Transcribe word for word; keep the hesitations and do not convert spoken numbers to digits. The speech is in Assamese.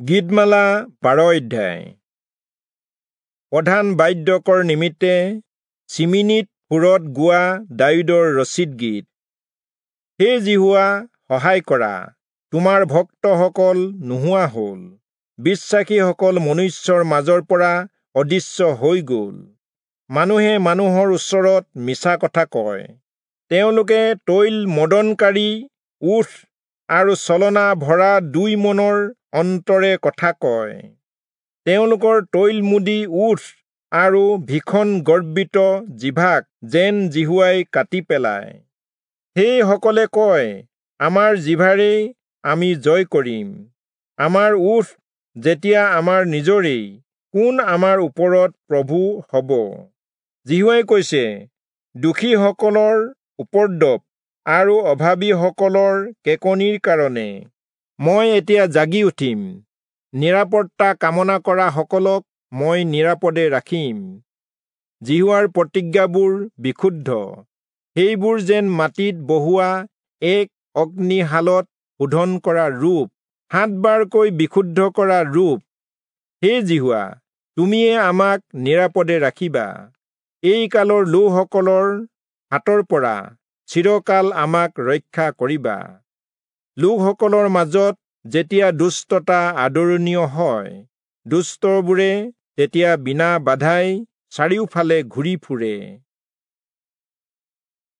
গীতমালা বাৰ অধ্যায়। প্ৰধান বাদ্যকৰ নিমিত্তে চিমিনিত সুৰত গোৱা দায়ূদৰ ৰচিত গীত। হে যিহোৱা, সহায় কৰা, তোমাৰ ভক্তসকল নোহোৱা হ'ল, বিশ্বাসীসকল মনুষ্যৰ মাজৰ পৰা অদৃশ্য হৈ গ'ল। মানুহে মানুহৰ ওচৰত মিছা কথা কয়, তেওঁলোকে তৈল মদনকাৰী ওঁঠ আৰু ছলনা ভৰা দুই মনৰ অন্তৰে কথা কয়। তেওঁলোকৰ তৈলমুদি ওঁঠ আৰু ভীষণ গৰ্বিত জিভাক যেন যিহোৱাই কাটি পেলায়। সেই সকলে কয়, আমাৰ জিভাৰেই আমি জয় কৰিম, আমাৰ ওঁঠ যেতিয়া আমাৰ নিজৰেই, কোন আমাৰ ওপৰত প্ৰভু হ'ব? যিহোৱাই কৈছে, দোষীসকলৰ উপদ্ৰৱ আৰু অভাৱীসকলৰ কেঁকনিৰ কাৰণে মই এতিয়া জাগি উঠিম, নিৰাপত্তা কামনা কৰা সকলক মই নিৰাপদে ৰাখিম। যিহোৱাৰ প্ৰতিজ্ঞাবোৰ বিশুদ্ধ, সেইবোৰ যেন মাটিত বহুৱা এক অগ্নিশালত শোধন কৰা ৰূপ, সাতবাৰকৈ বিশুদ্ধ কৰা ৰূপ। হে যিহোৱা, তুমিয়ে আমাক নিৰাপদে ৰাখিবা, এই কালৰ লোকসকলৰ হাতৰ পৰা চিৰকাল আমাক ৰক্ষা কৰিবা। লোকসকলৰ মাজত যেতিয়া দুষ্টতা আদৰণীয় হয়, দুষ্টবোৰে তেতিয়া বিনা বাধাই চাৰিওফালে ঘূৰি ফুৰে।